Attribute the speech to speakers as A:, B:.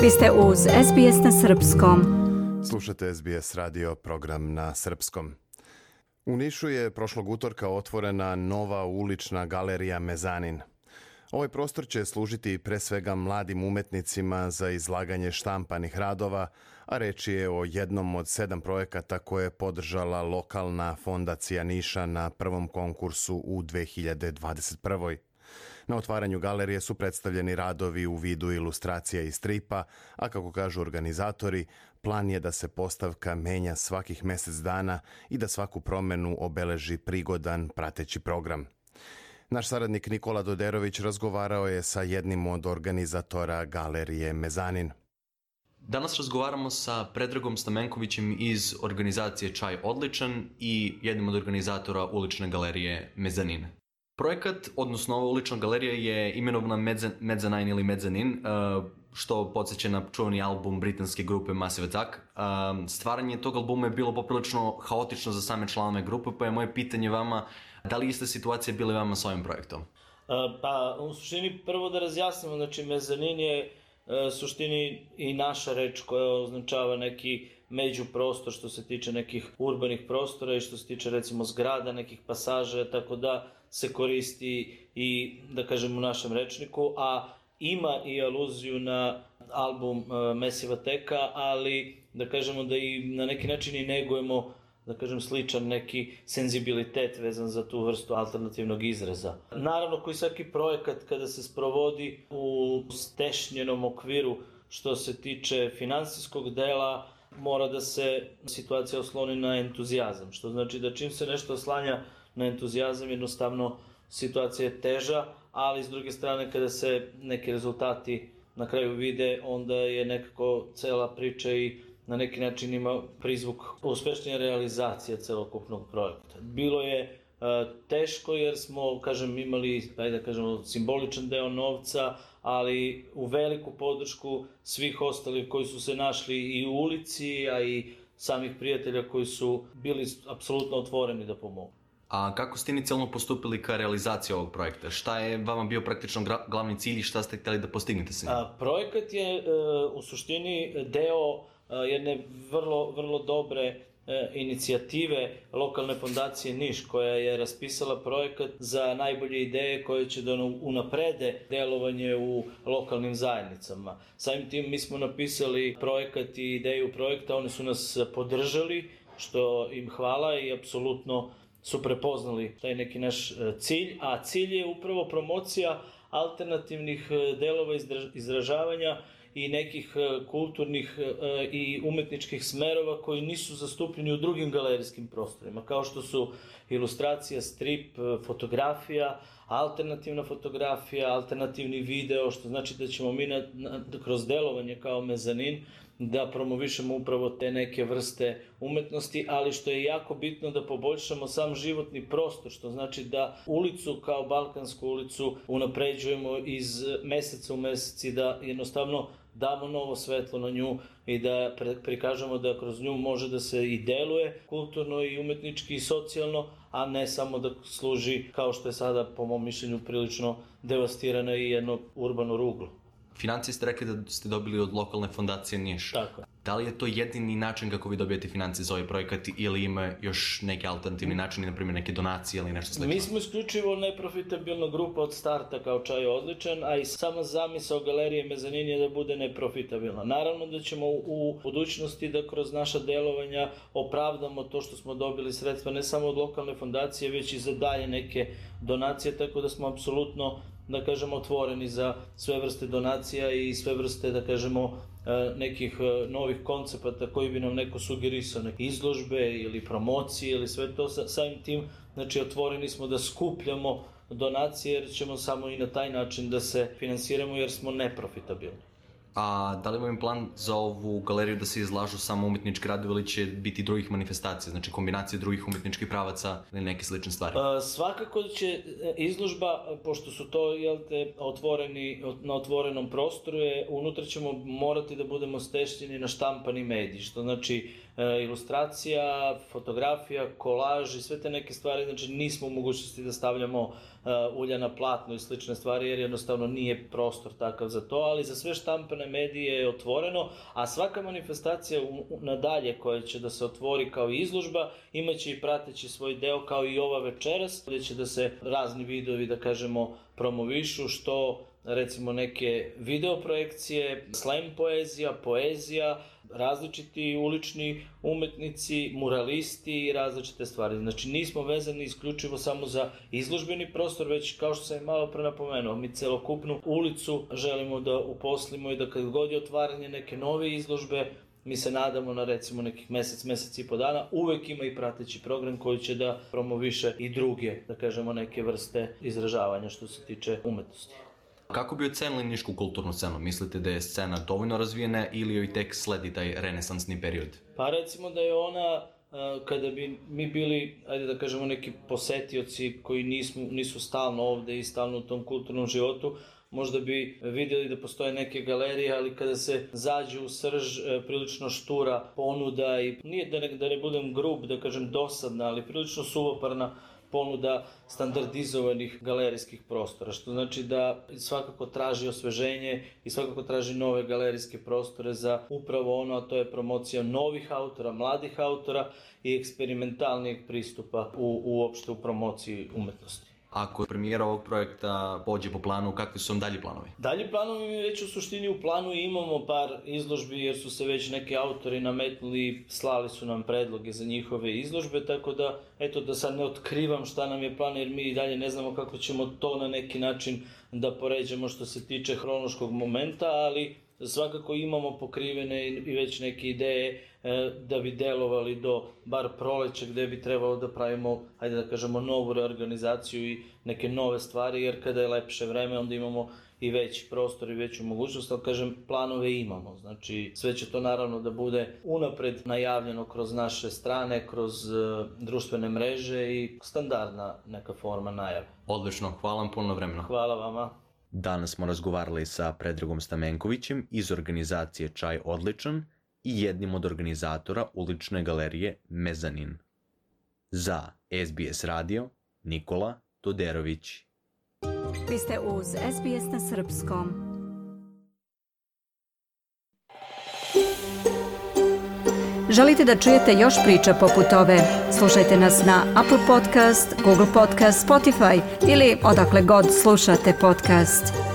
A: Vi ste uz SBS na srpskom.
B: Slušate SBS radio, program na srpskom. U Nišu je prošlog utorka otvorena nova ulična galerija Mezanin. Ovaj prostor će služiti pre svega mladim umetnicima za izlaganje štampanih radova, a reč je o jednom od 7 projekata koje je podržala lokalna fondacija Niša na prvom konkursu u 2021. Na otvaranju galerije su predstavljeni radovi u vidu ilustracija i stripa, a kako kažu organizatori, plan je da se postavka menja svakih mjesec dana i da svaku promenu obeleži prigodan prateći program. Naš saradnik Nikola Doderović razgovarao je sa jednim od organizatora galerije Mezanin.
C: Danas razgovaramo sa Predragom Stamenkovićem iz organizacije Čaj odličan i jednim od organizatora ulične galerije Mezanin. Projekat, odnosno ova ulična galerija je imenovana Mezzanine ili Mezanin, što podsjeća na čuveni album britanske grupe Massive Attack. Stvaranje tog albuma je bilo poprilično haotično za same članove grupe, pa je moje pitanje vama, da li ista situacija bila vama s ovim projektom?
D: Pa, u suštini prvo da razjasnimo, znači Mezanin je suštini i naša reč koja označava neki međuprostor što se tiče nekih urbanih prostora i što se tiče recimo zgrada, nekih pasaža, tako da se koristi i da kažem u našem rečniku, a ima i aluziju na album Massive Attacka, ali da kažemo da i na neki način i negujemo da kažem sličan neki senzibilitet vezan za tu vrstu alternativnog izraza. Naravno, koji svaki projekat kada se sprovodi u stešnjenom okviru što se tiče finansijskog dela, mora da se situacija osloni na entuzijazam, što znači da čim se nešto oslanja na entuzijazam, jednostavno situacija je teža, ali s druge strane kada se neki rezultati na kraju vide, onda je nekako cela priča i na neki način ima prizvuk uspešnije realizacije celokupnog projekta. Bilo je teško jer smo, imali, simboličan deo novca, ali u veliku podršku svih ostalih koji su se našli i u ulici, a i samih prijatelja koji su bili apsolutno otvoreni da pomogu.
C: A kako ste inicijalno postupili ka realizaciji ovog projekta? Šta je vama bio praktično glavni cilj i šta ste htjeli da postignete se?
D: Projekat je u suštini deo jedne vrlo dobre inicijative lokalne fondacije Niš, koja je raspisala projekat za najbolje ideje koje će da unaprede delovanje u lokalnim zajednicama. Samim tim mi smo napisali projekat i ideju projekta, oni su nas podržali, što im hvala i apsolutno su prepoznali taj neki naš cilj, a cilj je upravo promocija alternativnih delova izražavanja i nekih kulturnih i umetničkih smerova koji nisu zastupljeni u drugim galerijskim prostorima, kao što su ilustracija, strip, fotografija, alternativna fotografija, alternativni video, što znači da ćemo mi kroz delovanje kao Mezanin da promovišemo upravo te neke vrste umetnosti, ali što je jako bitno da poboljšamo sam životni prostor, što znači da ulicu kao Balkansku ulicu unapređujemo iz meseca u mesec i da jednostavno damo novo svetlo na nju i da prikažemo da kroz nju može da se i deluje kulturno i umetnički i socijalno, a ne samo da služi kao što je sada po mom mišljenju prilično devastirana i jedno urbano ruglo.
C: Financije ste rekli da ste dobili od lokalne fondacije Niš.
D: Tako.
C: Da li je to jedini način kako vi dobijete financije za ovaj projekat ili ima još neki alternativni način, na primjer neke donacije ili nešto slično?
D: Mi smo isključivo neprofitabilna grupa od starta kao Čaj odličan, a i sama zamisao galerije Mezanin je da bude neprofitabilna. Naravno da ćemo u budućnosti da kroz naša delovanja opravdamo to što smo dobili sredstva ne samo od lokalne fondacije, već i za dalje neke donacije, tako da smo apsolutno otvoreni za sve vrste donacija i sve vrste, nekih novih koncepata koji bi nam neko sugerisao, neke izložbe ili promocije ili sve to. Samim tim, otvoreni smo da skupljamo donacije jer ćemo samo i na taj način da se finansiramo jer smo neprofitabilni.
C: A da li imam plan za ovu galeriju da se izlažu samo umetnički radovi ili će biti drugih manifestacija, znači kombinacije drugih umetničkih pravaca ili neke slične stvari?
D: Svakako će izložba, pošto su to na otvorenom prostoru, unutra ćemo morati da budemo stešnjeni na štampani medij, što znači ilustracija, fotografija, kolaž i sve te neke stvari, znači nismo u mogućnosti da stavljamo ulja na platno i slične stvari jer jednostavno nije prostor takav za to, ali za sve štampane lokalne medije je otvoreno, a svaka manifestacija nadalje koja će da se otvori kao izložba imaće i prateći svoj deo kao i ova večeras, gdje će da se razni vidovi, da kažemo, promovišu, što recimo neke videoprojekcije, slam poezija, različiti ulični umetnici, muralisti i različite stvari. Znači nismo vezani isključivo samo za izložbeni prostor, već kao što sam je malo pre napomenuo, mi celokupnu ulicu želimo da uposlimo i da kad god je otvaranje neke nove izložbe, mi se nadamo na recimo nekih mesec i po dana, uvek ima i prateći program koji će da promoviše i druge, da kažemo, neke vrste izražavanja što se tiče umetnosti.
C: Kako bi ocenili nišku kulturnu scenu? Mislite da je scena dovoljno razvijena ili joj tek sledi taj renesansni period?
D: Pa recimo da je ona, kada bi mi bili, ajde da kažemo, neki posetioci koji nisu stalno ovde i stalno u tom kulturnom životu, možda bi vidjeli da postoje neke galerije, ali kada se zađe u srž, prilično štura ponuda i nije da ne budem grub, da kažem dosadna, ali prilično suvoparna ponuda standardizovanih galerijskih prostora, što znači da svakako traži osveženje i svakako traži nove galerijske prostore za upravo ono, a to je promocija novih autora, mladih autora i eksperimentalnijeg pristupa uopšte u promociji umetnosti.
C: Ako premijera ovog projekta pođe po planu, kakvi su vam dalji planovi?
D: Dalji planovi mi već u suštini u planu imamo par izložbi jer su se već neki autori nametnuli, slali su nam predloge za njihove izložbe, tako da, eto, da sad ne otkrivam šta nam je plan jer mi i dalje ne znamo kako ćemo to na neki način da poređamo što se tiče hronološkog momenta, ali svakako imamo pokrivene i već neke ideje da bi delovali do bar proleća gde bi trebalo da pravimo, ajde da kažemo, novu reorganizaciju i neke nove stvari, jer kada je lepše vreme onda imamo i veći prostor i veću mogućnost, ali kažem, planove imamo. Znači, sve će to naravno da bude unapred najavljeno kroz naše strane, kroz društvene mreže i standardna neka forma najave.
C: Odlično, hvala vam puno vremena.
D: Hvala vama.
C: Danas smo razgovarali sa Predragom Stamenkovićem iz organizacije Čaj Odličan i jednim od organizatora ulične galerije Mezanin. Za SBS radio, Nikola Toderović.
A: Vi ste uz SBS na srpskom. Želite da čujete još priča poput ove? Slušajte nas na Apple Podcast, Google Podcast, Spotify ili odakle god slušate podcast.